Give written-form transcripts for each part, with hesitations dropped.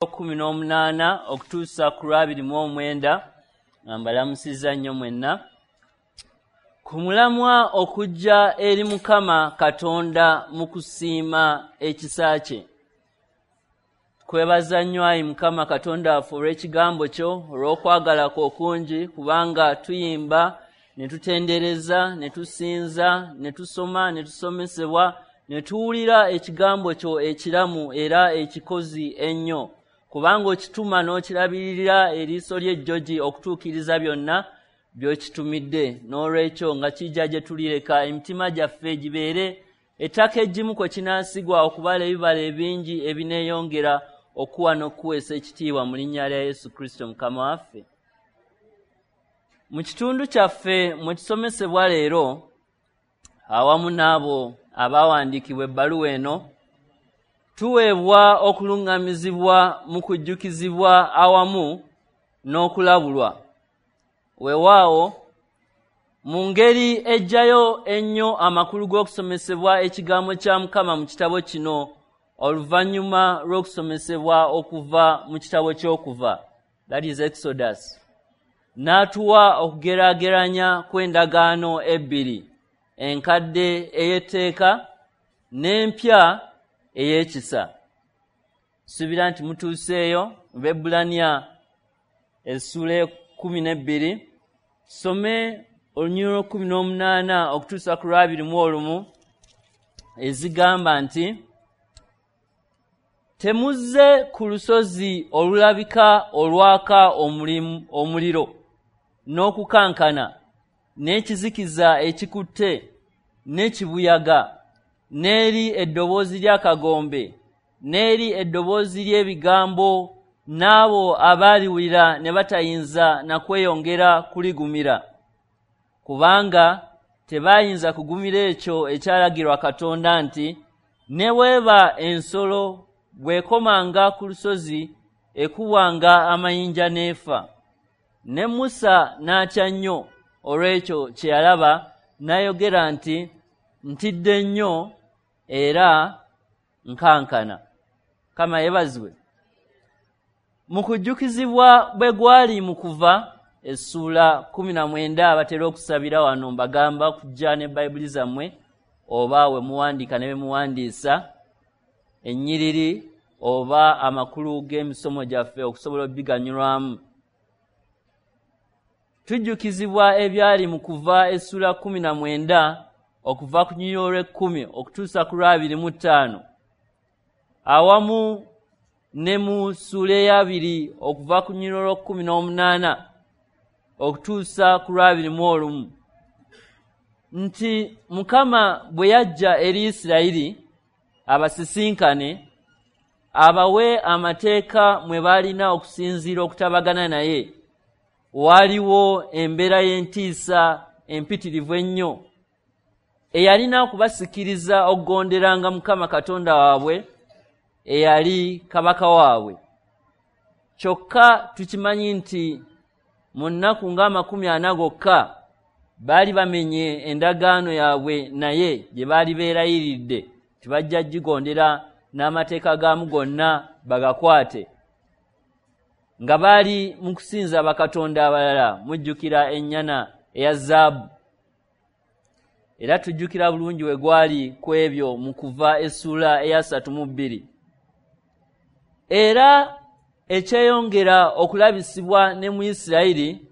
18 okutuusa ku 29, nga mbalamusizza nnyo mwenna ku mulamwa okujja eri Mukama Katonda mu kusiima ekisa kye. Kwebaza nnyo ayi Mukama Katonda waffe olw'ekigambo kyo, olw'okwagala kwo okungi, kubanga tuyimba ne tutendereza ne tusinza ne tusoma ne tusomesebwa ne tuwulira ekigambo kyo ekiramu era ekikozi ennyo, kubanga okituma n'okirabirira eriiso ly'ejjogi okutuukiriza byonna by'okitumidde. N'olwekyo nga kijja gye tulireka emitima gyaffe gibeere ettaka eggimu kwe kinaasigwa okubala ebibala ebingi ebineeyongera okuwa n'okuweesa ekitiibwa mu linnya lya Yesu Kristo Mukama waffe. Mu kitundu kyaffe mwe tusomesebwa leero awamu n'abo abaawandiikibwa ebbaluwa eno, tuweebwa okuluŋŋamizibwa mu kujjukizibwa awamu n'okulabulwa. Weewaawo mu ngeri ejjayo ennyo amakulu g'okusomesebwa ekigambo kya Mukama mu kitabo kino oluvannyuma lw'okusomesebwa okuva mu kitabo ky'Okuva, that is Exodus, n'atuwa okugeraageranya kw'endagaano ebbiri, enkadde ey'etteeka n'empya ey'ekisa. Suubira nti mutuuseeyo mu Baebbulaniya essuula 12, tusome olunyiriri 18 okutuusa ku 21, ezigamba nti temuzze ku lusozi olulabika olwaka omuliro n'okukankana n'ekizikiza ekikutte n'ekibuyaga n'eri eddoboozi ly'akagombe n'eri eddoboozi ly'ebigambo n'abo abaaliwulira ne batayinza na kweyongera kuligumira, kubanga tebayinza kugumira ekyo ekyalagirwa Katonda nti ne bw'eba ensolo bw'ekomanga ku lusozi ekubwanga amayinja n'efa. Ne Musa n'atya nnyo olw'ekyo kye yalaba, n'ayogera nti ntidde nnyo era nkankana. Mukama yeebazibwe. Mu kujjukizibwa bwe gwali mu Kuva essuula 19, batera okusabira wano mbagamba kujja ne Bayibuli zammwe oba we muwandiika ne be muwandiisa ennyiriri oba amakulu g'emisomo gyaffe okusobola okubiganyulwamu. Tujjukizibwa ebyali mu Kuva essuula 19 okuva ku lunyiriri olw'ekumi okutuusa ku 25, awamu ne mu ssuula ey'abiri okuva ku lunyiriri olw'18 okutuusa ku 21, nti Mukama bwe yajja eri Isirayiri abasisinkane abawe amateeka mwe baalina okusinziira okutabagana naye, waaliwo embeera y'entiisa empitirivu ennyo eyalina okubasikiriza okugonderanga Mukama Katonda waabwe eyali kabaka waabwe. Kyokka tukimanyi nti mu nnaku nga 40 gokka baali bamenye endagaano yaabwe naye gye baali beerayiridde tibajja gigondera n'amateeka gaamu gonna bagakwate, nga baali mu kusinza bakatonda abalala. Mujjukira ennyana eya zaabu, era tujjukira bulungi we gwali ku ebyo mu Kuva essuula eya 32. Era ekyeyongera okulabisibwa ne mu Isirayiri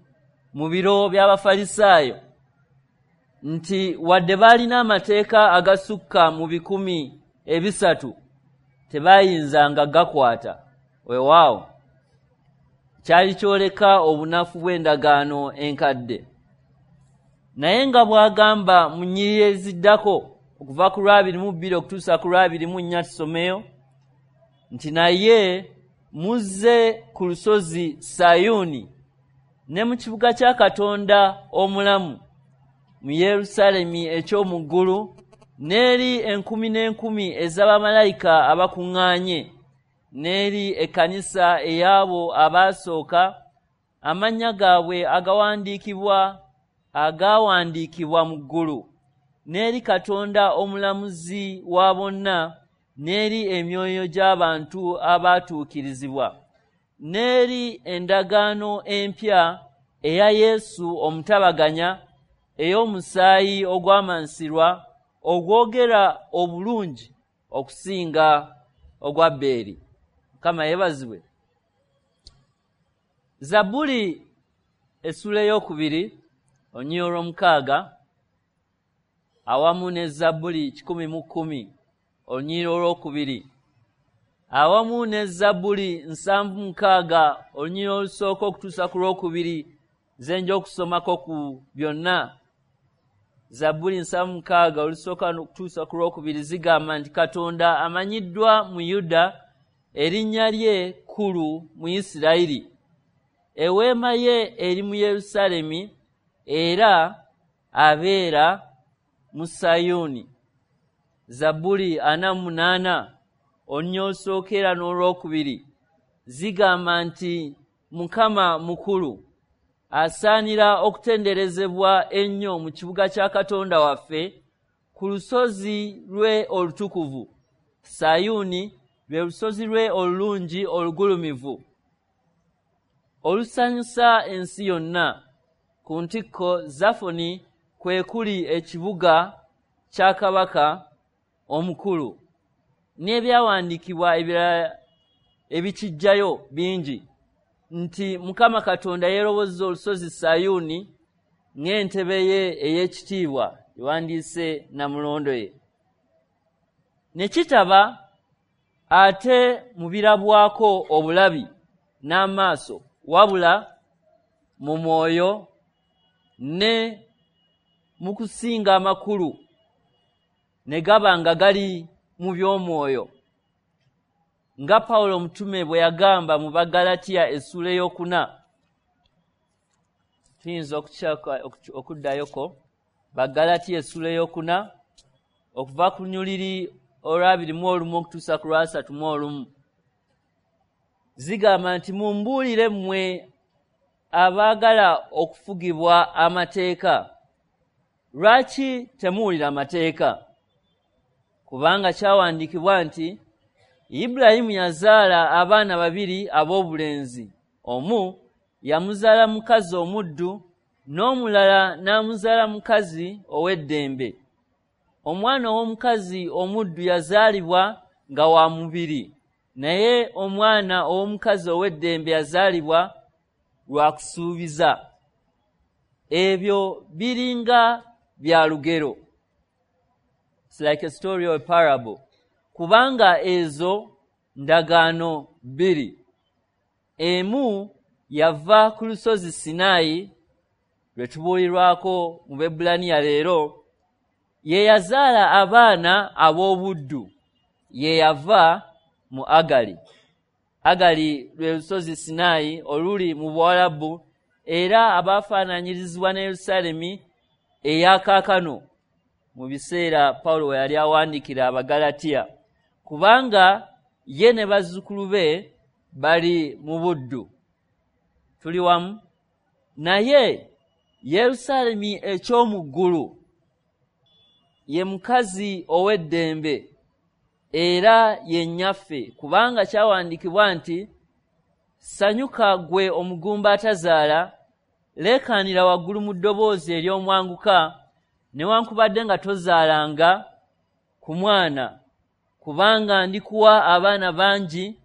mu biro by'Abafalisaayo nti wadde baalina amateeka agasukka mu 300 tebayinzanga gakwata. Weewaawo kyali kyoleka obunafu bw'endagaano enkadde. Naye nga bw'agamba mu nnyiriri eziddako okuva ku 22 okutuusa ku 24, tusomeyo nti naye muzze ku lusozi Sayuuni ne mu kibuga kya Katonda omulamu mu Yerusaalemi eky'omu ggulu, n'eri enkumi n'enkumi ez'abamalayika abakuŋŋaanye, n'eri ekkanisa ey'abo abaasooka amannya gaabwe agaawandiikibwa mu ggulu, n'eri Katonda omulamuzi wa bonna, n'eri emyoyo gy'abantu abaatuukirizibwa, n'eri endagaano empya eya Yesu omutabaganya, ey'omusaayi ogwamansirwa, ogwogera obulungi okusinga ogwa Abbeeri. Mukama yeebazibwe. Zabbuli essula 2 olunyiriri olw'omukaaga awamu ne Zabbuli 110 olunyiriri olwokubiri awamu ne Zabbuli 76 olunyiriri olusooka okutuusa ku lwokubiri nze nja okusomako ku byonna. Zabbuli 76 olusooka okutuusa ku lwokubiri zigamba nti Katonda amanyiddwa mu Yuda, erinnya lye kkulu mu Isirayiri. Eweema ye eri mu Yerusaalemi era abeera mu Sayuuni. Zabbuli 48 olunyiriri olusooka era n'olwokubiri zigamba nti Mukama mukulu, asaanira okutenderezebwa ennyo mu kibuga kya Katonda waffe, ku lusozi lwe olutukuvu. Sayuuni lwe lusozi lwe olulungi olugulumivu, olusanyusa ensi yonna. Ku ntikko Zafoni kwe kuli ekibuga kya kabaka omukulu. N'ebyawandiikibwa ebirala ebikijjayo bingi nti Mukama Katonda yeerobozza olusozi Sayuuni ng'entebe ye ey'ekitiibwa, ewandiise Namulondo ye. Ne kitaba ate mu birabwako obulabi n'amaaso, wabula mu mwoyo ne mu kusinga amakulu, ne gaba nga gali mu by'omwoyo. Nga Pawulo omutume bwe yagamba mu Baggalatiya essula 4, tuyinza okuddayoko Baggalatiya essula 4 okuva ku lunyiriri olwa 21 okutuusa ku lwa 31, zigamba nti mumbuulire mmwe abaagala okufugibwa amateeka, lwaki temuwulira amateeka? Kubanga kyawandiikibwa nti Ibulayimu yazaala abaana babiri ab'obulenzi, omu yamuzaala mukazi omuddu n'omulala n'amuzaala mukazi ow'eddembe. Omwana ow'omukazi omuddu yazaalibwa nga wa mubiri, naye omwana ow'omukazi ow'eddembe yazaalibwa lwa kusuubiza. Ebyo biringa bya lugero. It's like a story or a parable. Kubanga ezo ndagaano bbiri. Emu yava ku lusozi Sinaayi lwe tubuulirwako mu Bebbulaniya leero, ye yazaala abaana ab'obuddu, ye yava mu Agali. Agali lwe lusozi Sinaayi oluli mu Buwalabu, era abaafaananyirizibwa ne Yerusaalemi eya kaakano mu biseera Pawulo we yali awandiikira Abagalatiya, kubanga ye ne bazzukulu be bali mu buddu. Tuli wamu? Naye Yerusaalemi eky'omu ggulu ye mukazi ow'eddembe era ye nnyaffe, kubanga kyawandiikibwa nti sanyuka ggwe omugumba atazaala, leekaanira waggulu mu ddoboozi ery'omwanguka, newankubadde nga tozaalanga ku mwana, kubanga ndikuwa abaana bangi,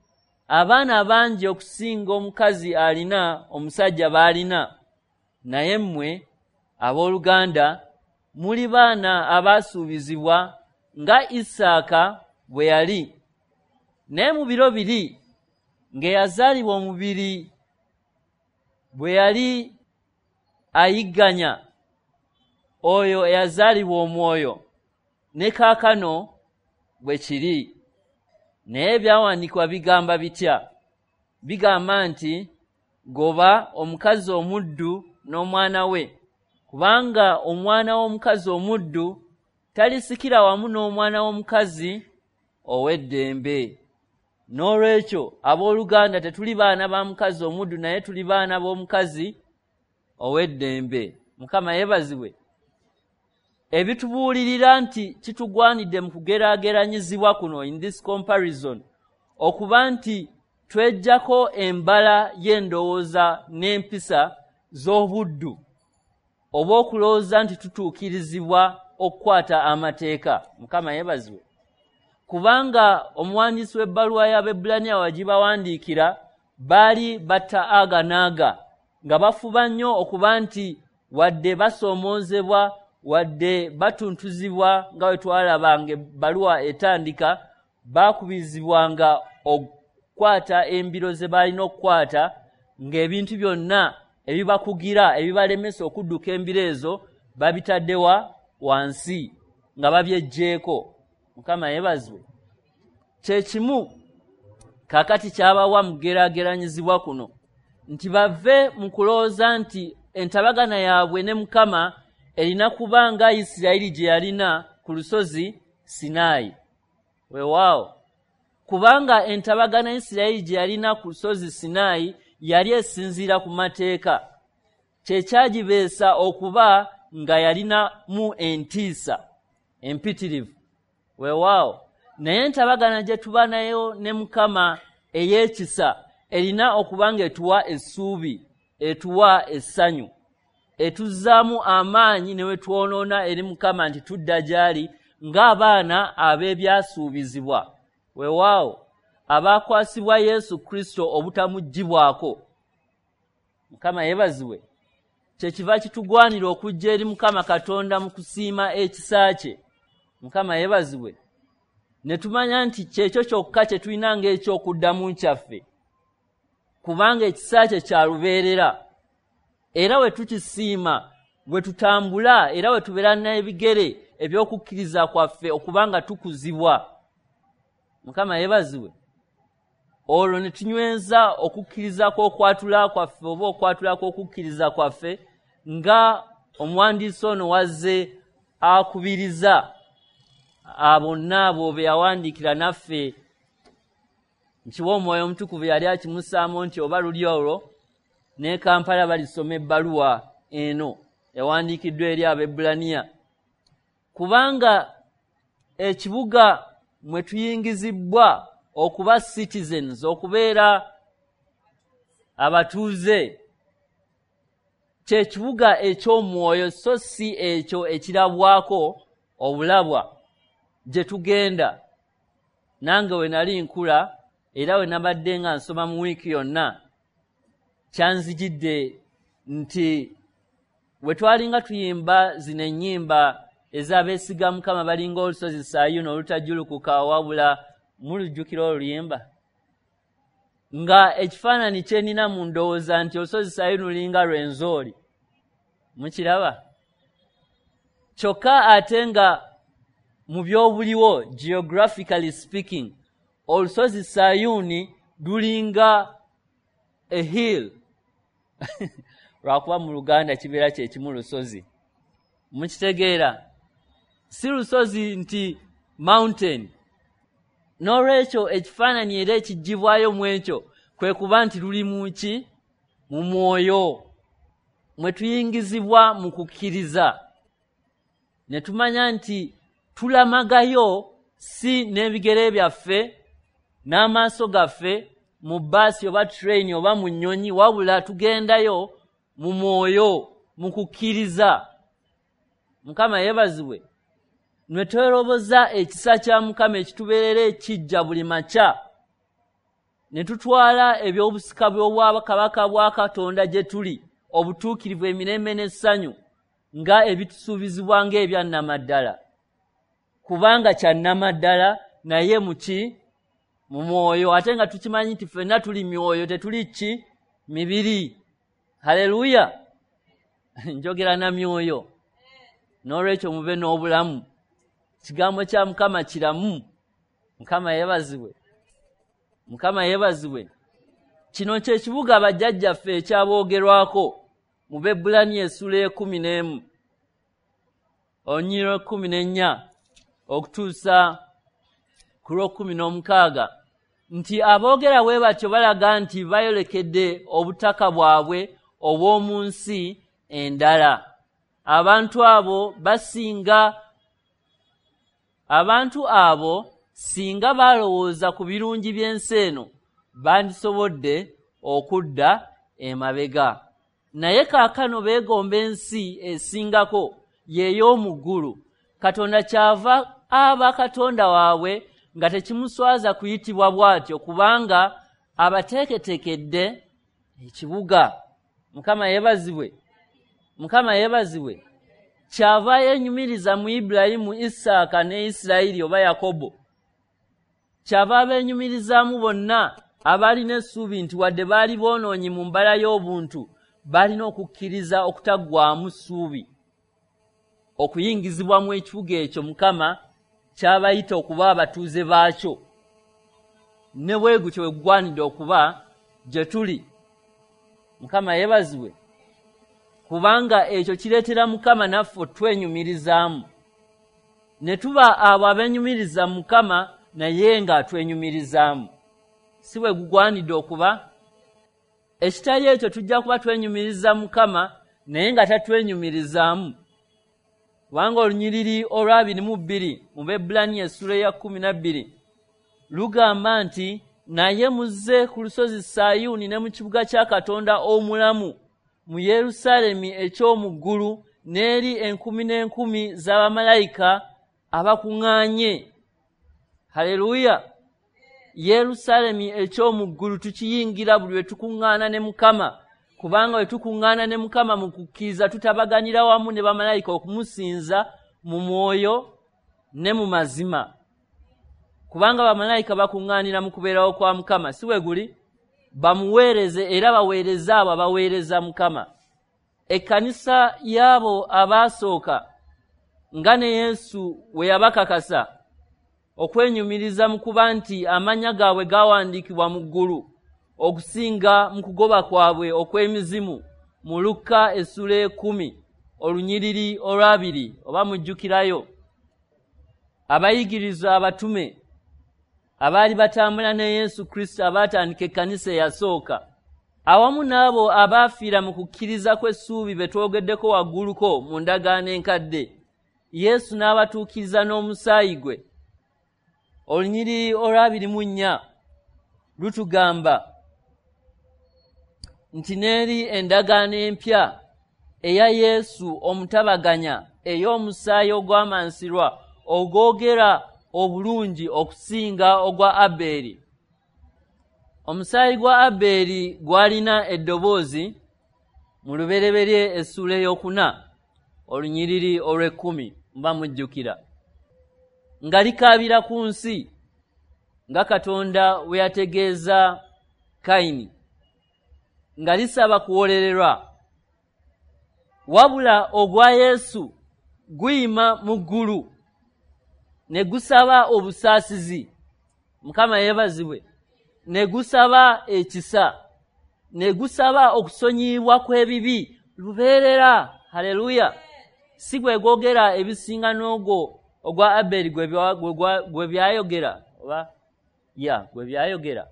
abaana bangi okusinga omukazi alina omusajja b'alina. Naye mmwe abooluganda muli baana abaasuubizibwa nga Isaaka bwe yali. Naye mu biro biri ng'eyazaalibwa omubiri bwe yali ayigganya oyo eyazaalibwa omwoyo, ne kaakano bwe kiri. Naye ebyawandiikibwa bigamba bitya? Bigamba nti goba omukazi omuddu n'omwana we, kubanga omwana w'omukazi omuddu talisikira wamu n'omwana w'omukazi ow'eddembe. N'olwekyo abooluganda tetuli baana ba mukazi omuddu, naye tuli baana b'omukazi ow'eddembe. Mukama yeebazibwe. Ebitubuulirira nti kitugwanidde mu kugeraageranyizibwa kuno, in this comparison, okuba nti tweggyako embala y'endowooza n'empisa z'obuddu oba okulowooza nti tutuukirizibwa okukwata amateeka. Mukama yeebazibwe. Kubanga omuwandiisi w'ebbaluwa y'Abaebbulaniya wagibawandiikira baali batta aga n'aga nga bafuba nnyo okuba nti wadde basoomoozebwa, wadde batuntuzibwa, nga bwe twalabanga ebbaluwa etandika, baakubirizibwanga okukwata embiro ze baalina okukwata, ng'ebintu byonna ebibakugira ebibalemesa okudduka embiro ezo babitaddewa wansi nga babyeggyeeko. Mukama yeebazibwe. Kye kimu kaakati kyabawa mu kugeraageranyizibwa kuno nti bave mu kulowooza nti entabagana yaabwe ne Mukama erina kuba nga Isirayiri gye yalina ku lusozi Sinaayi. Weewaawo, kubanga entabagana Isirayiri gye yalina ku lusozi Sinaayi yali esinziira ku mateeka, kye kyagibeesa okuba nga yalinamu entiisa empitirivu. Weewaawo, naye entabagana gye tuba nayo ne Mukama ey'ekisa erina okuba ng'etuwa essuubi, etuwa essanyu, etuzzaamu amaanyi ne we twonoona eri Mukama nti tudda gy'ali ng'abaana ab'ebyasuubizibwa. Weewaawo, abaakwasibwa Yesu Kristo obutamuggyibwako. Mukama yeebazibwe. Kyekiva kitugwanira okujja eri Mukama Katonda mu kusiima ekisa kye. Mukama yeebazibwe. Ne tumanya nti kyekyo kyokka kye tulina ng'ekyokuddamu kyaffe, kubanga ekisa kye kya lubeerera. Era we tukisiima, we tutambula, era we tubeera n'ebigere eby'okukkiriza kwaffe okubanga tukuzibwa. Mukama yeebazibwe. Olwo ne tunyweza okukkiriza kw'okwatula kwaffe oba okwatula kw'okukkiriza kwaffe nga omuwandiisi ono wazze akubiriza bonna abo be yawandiikira naffe. Nkiwa Omwoyo Omutukuvu yali akimussaamu nti oba luli olwo ne Kampala balisoma ebbaluwa eno ewandiikiddwa eri Abaebbulaniya, kubanga ekibuga mwe tuyingizibwa okuba citizens, okubeera abatuuze, kye kibuga eky'omwoyo so si ekyo ekirabwako obulabwa gye tugenda. Nange we nali nkula era we nabadde nga nsoma mu wiiki yonna, kyanzijidde nti we twalinga tuyimba zino ennyimba ez'abeesiga Mukama balinga olusozi Sayuuni olutajjulukuka, wabula mulujjukira oluyimba nga ekifaananyi kye nnina mu ndowooza nti olusozi Sayuuni lulinga Rwenzori. Mukiraba? Kyokka ate nga mu by'obuliwo, geographically speaking, olusozi Sayuuni lulinga a hill. Lwakuba mu Luganda kibeera kye kimu lusozi. Mukitegeera? Si lusozi nti mountain. N'olwekyo ekifaananyi era ekiggyibwayo mu ekyo kwe kuba nti luli mu ki? Mu mwoyo. Mwe tuyingizibwa mu kukkiriza. Ne tumanya nti tulamagayo si n'ebigere byaffe n'amaaso gaffe mu bbaasi oba train oba mu nnyonyi, wabula tugendayo mu mwoyo, mu kukkiriza. Mukama yeebazibwe. Ne tweroboza ekisa kya Mukama ekitubeerera ekijja buli makya, ne tutwala eby'obusika bw'obwakabaka bwa Katonda gye tuli, obutuukirivu, emirembe n'essanyu, nga ebitusuubizibwa ng'ebya nnamaddala. Kubanga kya nnamaddala naye mu ki? Mu mwoyo. Ate nga tukimanyi nti ffenna tuli myoyo, tetuli ki? Mibiri. Haleluya! Njogera na myoyo. N'olwekyo mube n'obulamu. Kigambo kya Mukama kiramu. Mukama yeebazibwe. Mukama yeebazibwe. Kino kye kibuga bajjajjaffe ekyaboogerwako mu Baebbulaniya essula 11 olunyiriri 14 okutuusa ku lw'okukuminaomukaga, nti aboogera bwe batyo balaga nti bayolekedde obutaka bwabwe obw'omu nsi endala. Abantu abo basinga, abantu abo singa balowooza ku birungi by'ensi eno bandisobodde okudda emabega. Naye kaakano beegomba ensi esingako, y'ey'omu ggulu. Katonda kyava aba Katonda waabwe nga tekimuswaza kuyitibwa bw'atyo, kubanga abateeketeekedde ekibuga. Mukama yeebazibwe. Mukama yeebazibwe. Kyava yeenyumiriza mu Ibulayimu, Isaaka ne Isirayiri oba Yakobo. Kyava abeenyumirizaamu bonna abaalina essuubi nti wadde baali boonoonyi mu mbala y'obuntu, balina okukkiriza okutaggwaamu ssuubi okuyingizibwa mu ekibuga ekyo Mukama kyabayita okuba abatuuze baakyo. Ne bwe gutyo bwe gugwanidde okuba gye tuli. Mukama yeebazibwe, kubanga ekyo kireetera Mukama naffe otwenyumirizaamu, ne tuba abo abeenyumiriza Mukama naye ng'atwenyumirizaamu. Si bwe gugwanidde okuba? Ekitali ekyo tujja kuba twenyumiriza Mukama naye nga tatwenyumirizaamu. Kubanga olunyiriri olwa 22 mu Baebbulaniya essula eya 12 lugamba nti, naye muzze ku lusozi Sayuuni ne mu kibuga kya Katonda omulamu, mu Yerusaalemi eky'omu ggulu, n'eri enkumi n'enkumi z'abamalayika abakuŋŋaanye. Haleluya! Yerusaalemi eky'omu ggulu tukiyingira buli lwe tukuŋŋaana ne Mukama, kubanga bwe tukuŋŋaana ne Mukama mu kukkiriza tutabaganira wamu ne bamalayika okumusinza mu mwoyo ne mu mazima. Kubanga bamalayika bakuŋŋaanira mu kubeerawo kwa Mukama, si bwe guli? Bamuweereze era baweereze abo abaweereza Mukama. Ekkanisa y'abo abaasooka nga ne Yesu we yabakakasa okwenyumiriza mu kuba nti amannya gaabwe gawandiikibwa mu ggulu okusinga mu kugoba kwabwe okw'emizimu mu Lukka essula 10 olunyiriri olwabiri, oba mujjukirayo. Abayigirizwa abatume abaali batambula ne Yesu Kristo abaatandika ekkanisa eyasooka, awamu n'abo abaafiira mu kukkiriza kw'essuubi be twogeddeko wagguluko mu ndagaano enkadde, Yesu n'abatuukiriza n'omusaayi gwe. Olunyiriri olwa 24 lutugamba nti n'eri endagaano empya eya Yesu omutabaganya, ey'omusaayi ogwamansirwa ogwogera obulungi okusinga ogwa Abeeri. Omusaayi gwa Abeeri gwalina eddoboozi mu Lubereberye essula 4 olunyiriri olw'ekkumi, muba mujjukira, nga likaabira ku nsi nga Katonda we yategeeza Kayini, nga lisaba kuwolererwa. Wabula ogwa Yesu guyima mu ggulu ne gusaba obusaasizi. Mukama yeebazibwe. Ne gusaba ekisa, ne gusaba okusonyiyibwa kw'ebibi lubeerera. Haleluya! Si gwe gwogera ebisinga n'ogwo ogwa Abeeri gwe byayogera, oba ya gwe byayogera,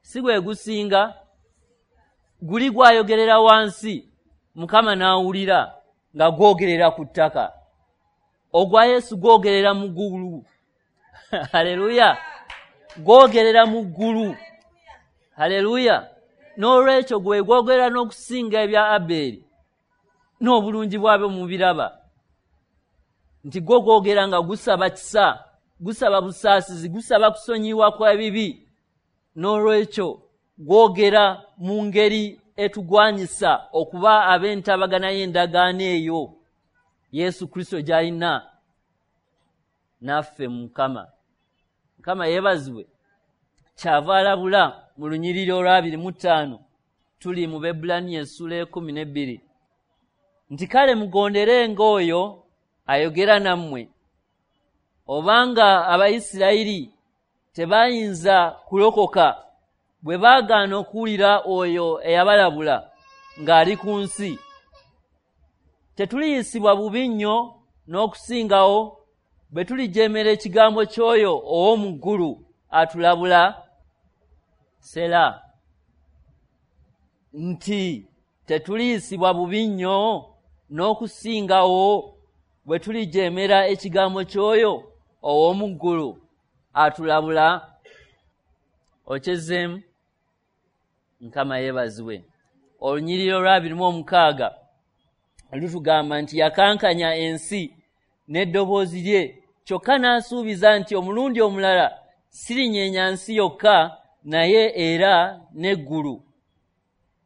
si gwe gusinga. Guli gwayogerera wansi, Mukama n'awulira nga gwogerera ku ttaka. Ogwa Yesu gwogerera mu ggulu. Haleluya! Gwogerera mu ggulu. Haleluya! N'olwekyo gwe gwogera n'okusinga ebya Abeeri n'obulungi bwabyo mubiraba, nti gwo gwogera nga gusaba kisa, gusaba busaasizi, gusaba kusonyiwa kw'ebibi. N'olwekyo gwogera mu ngeri etugwanyisa okuba ab'entabagana y'endagaano eyo Yesu Kristo gy'alina naffe. Mukama, Mukama yeebazibwe. Kyava alabula mu lunyiriri olwa 25, tuli mu Baebbulaniya essula 12, nti kale mugonderenga oyo ayogera nammwe. Obanga Abayisirayiri tebayinza kulokoka bwe baagaana okuwulira oyo eyabalabula ng'ali ku nsi, tetuliyisibwa bubi nnyo n'okusingawo bwe tulijeemera ekigambo ky'oyo ow'omu ggulu atulabula? Sera. Nti tetuliyisibwa bubi nnyo N'okusingawo bwe tulijeemera ekigambo ky'oyo ow'omu ggulu atulabula. Okyezeemu? Mukama yeebazibwe. Olunyiriri olwa 26 lutugamba nti yakankanya ensi n'eddoboozi lye, kyokka n'asuubiza nti omulundi omulala sirinyeenya nsi yokka naye era n'eggulu.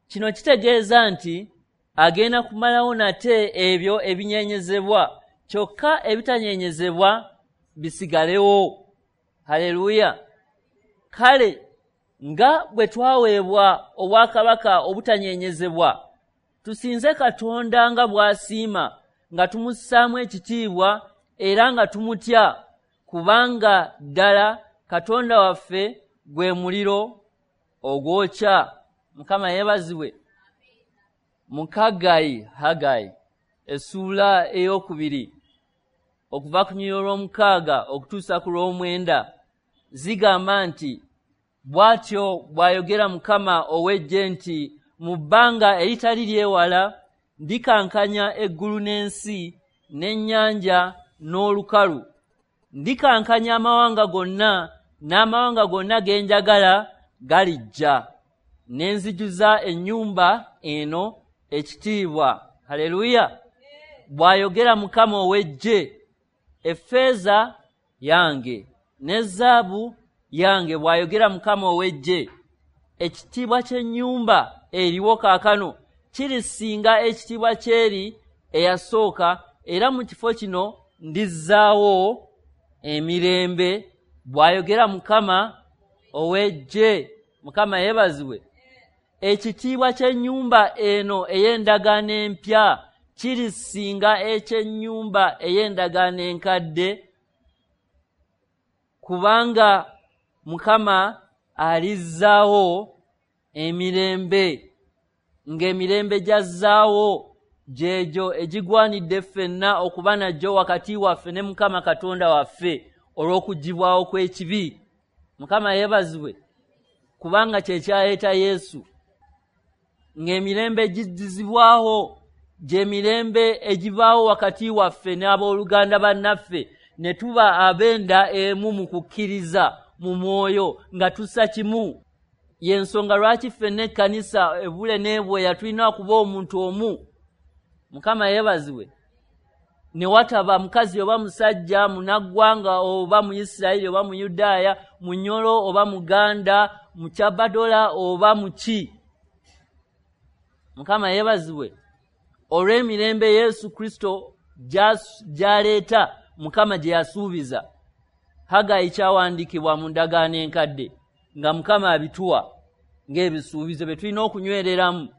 Kino kitegeeza nti agenda kumalawo nate ebyo ebinyenyezebwa, kyokka ebitanyenyezebwa bisigalewo. Haleluya! Kale nga bwe twaweebwa obwakabaka obutanyenyezebwa, tusinze Katonda nga bw'asiima, nga tumussaamu ekitiibwa era nga tumutya, kubanga ddala Katonda waffe gwe muliro ogwokya. Mukama yeebazibwe. Mu Haggayi essuula 2 okuva ku lunyiriri olw'omukaaga okutuusa ku lw'omwenda zigamba nti bw'atyo bw'ayogera Mukama ow'eggye nti mu bbanga eritali lyewala ndikankanya eggulu n'ensi n'ennyanja n'olukalu. Ndikankanya amawanga gonna, n'amawanga gonna ge njagala galijja, ne nzijuza ennyumba eno ekitiibwa. Haleluya! Bw'ayogera Mukama ow'eggye. Effeeza yange ne zaabu yange, bw'ayogera Mukama ow'eggye. Ekitiibwa ky'ennyumba eriwo kaakano kirisinga ekitiibwa ky'eri eyasooka, era mu kifo kino ndizzaawo emirembe, bw'ayogera Mukama ow'eggye. Mukama yeebazibwe. Ekitiibwa ky'ennyumba eno ey'endagaano empya kirisinga eky'ennyumba ey'endagaano enkadde, kubanga Mukama alizzaawo emirembe, ng'emirembe gy'azzaawo gyegyo egigwanidde ffenna okuba nagyo wakati waffe ne Mukama Katonda waffe olw'okuggyibwawo kw'ekibi. Mukama yeebazibwe, kubanga kye kyaleeta Yesu. Ng'emirembe giddizibwawo gy'emirembe egibaawo wakati waffe n'abooluganda bannaffe, ne tuba ab'enda emu mu kukkiriza mu mwoyo nga tussa kimu. Y'ensonga lwaki ffenna ekkanisa ebule n'ebweya tulina okuba omuntu omu. Mukama yeebazibwe. Ne wataba mukazi oba musajja, munaggwanga oba Muyisirayiri oba Muyudaaya, Munyolo oba Muganda, Mukyabadola oba muki. Mukama yeebazibwe. Olw'emirembe Yesu Kristo gy'aleeta, Mukama gye yasuubiza. Haggayi kyawandiikibwa mu ndagaano enkadde nga Mukama abituwa ng'ebisuubizo bye tulina okunywereramu,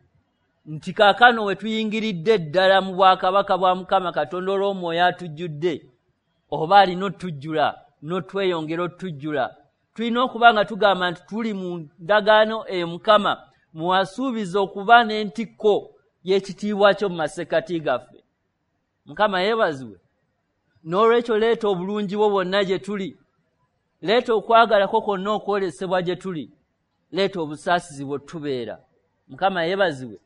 nti kaakano we tuyingiridde ddala mu bwakabaka bwa Mukama Katonda olw'omwoyo atujjudde, oba alina otujjula n'otweyongera otujjula. Tulina okuba nga tugamba nti tuli mu ndagaano eyo Mukama mwasuubiza okuba n'entikko y'ekitiibwa kyo mu masekkati gaffe. Mukama yeebazibwe. N'olwekyo leeta obulungi bwo bwonna gye tuli, leeta okwagalako kwonna okwolesebwa gye tuli, leeta obusaasizi bwe tubeera. Mukama yeebazibwe.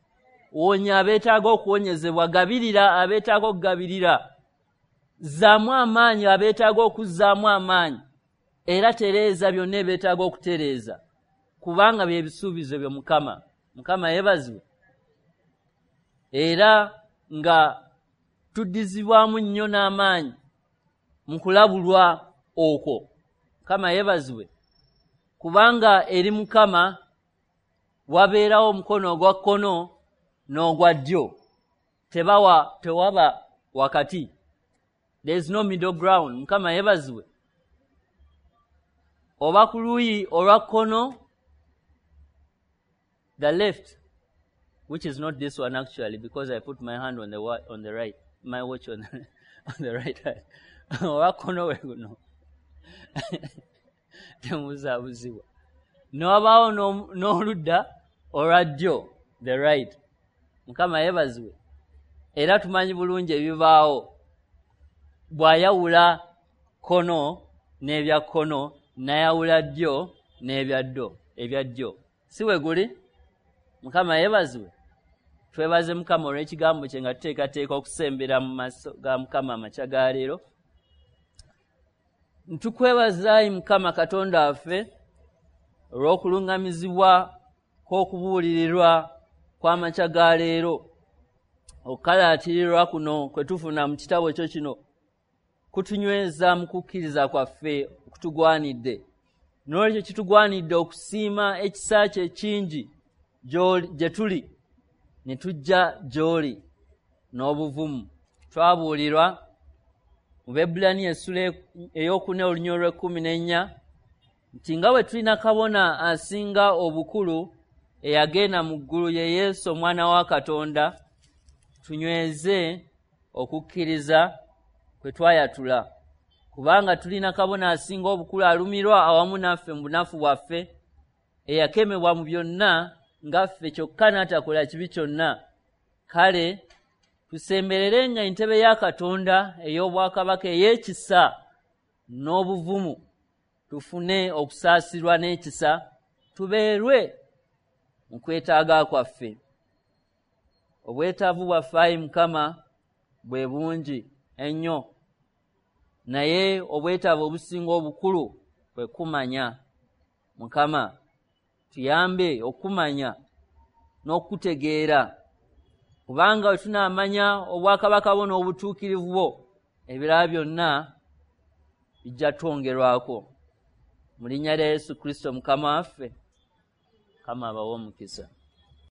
Wonya abeetaaga okuwonyezebwa, gabirira abeetaaga okugabirira, zzaamu amaanyi abeetaaga okuzzaamu amaanyi, era tereeza byonna ebyetaaga okutereeza, kubanga bye bisuubizo byo Mukama. Mukama yeebazibwe. Era nga tuddizibwamu nnyo n'amaanyi mu kulabulwa okwo. Mukama yeebazibwe, kubanga eri Mukama wabeerawo omukono ogwa kkono n'ogwa ddyo, tewaba wakati. There is no middle ground. Mukama yeebazibwe. Oba ku luuyi olwa kkono, the left, which is not this one actually, because I put my hand on the right, my watch on the right hand. Olwa kkono we guno temubuzaabuzibwa. Ne wabaawo n'oludda olwa ddyo, the right. Mukama yeebazibwe. Era tumanyi bulungi ebibaawo bw'ayawula kkono n'ebya kkono, n'ayawula ddyo n'ebya ddyo, ebya ddyo. Si we guli? Mukama yeebazibwe. Twebaze Mukama olw'ekigambo kye nga tuteekateeka okusembera mu maaso ga Mukama amakya ga leero. Ntukwebaza ayi Mukama Katonda waffe olw'okuluŋŋamizibwa kw'okubuulirirwa kw'amakya ga leero. Okukalaatirirwa kuno kwe tufuna mu kitabo kyo kino kutunyweza mu kukkiriza kwaffe okutugwanidde. N'olwekyo kitugwanidde okusiima ekisa kye ekingi gye tuli ne tujja gy'oli n'obuvumu. Twabuulirwa mu Baebbulaniya essula ey'okuna olunyiriri olw'ekkumi n'ennya nti nga bwe tulina kabona asinga obukulu eyagenda mu ggulu ye Yesu omwana wa Katonda, tunyweze okukkiriza kwe twayatula, kubanga tulina kabona asinga obukulu alumirwa awamu naffe mu bunafu bwaffe, eyakemebwa mu byonna nga ffe kyokka n'atakola kibi kyonna. Kale tusembererenga entebe ya Katonda ey'obwakabaka ey'ekisa n'obuvumu, tufune okusaasirwa n'ekisa, tubeerwe mu kwetaaga kwaffe. Obwetaavu bwaffe ayi Mukama bwe bungi ennyo, naye obwetaavu obusinga obukulu kwe kumanya. Mukama tuyambe okumanya n'okutegeera, kubanga bwe tunaamanya obwakabaka bwo n'obutuukirivu bwo, ebirala byonna bijja twongerwako. Mu linnya lya Yesu Kristo Mukama waffe, Mukama abawe omukisa.